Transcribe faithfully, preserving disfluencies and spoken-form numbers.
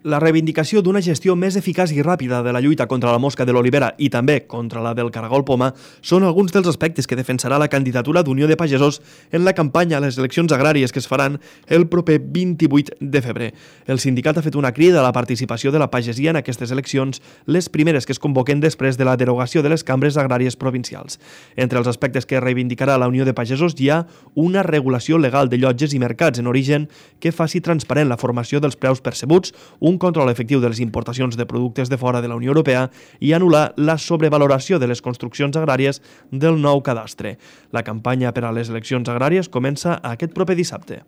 La reivindicació d'una gestió més eficaç i ràpida de la lluita contra la mosca de l'olivera i també contra la del caragol poma són alguns dels aspectes que defensarà la candidatura d'Unió de Pagesos en la campanya a les eleccions agràries que es faran el proper vint-i-vuit de febrer. El sindicat ha fet una crida a la participació de la pagesia en aquestes eleccions, les primeres que es convoquen després de la derogació de les cambres agràries provincials. Entre els aspectes que reivindicarà la Unió de Pagesos hi ha una regulació legal de llotges i mercats en origen que faci transparent la formació dels preus percebuts, un un control efectiu de les importacions de productes de fora de la Unió Europea i anul·lar la sobrevaloració de les construccions agràries del nou cadastre. La campanya per a les eleccions agràries comença aquest proper dissabte.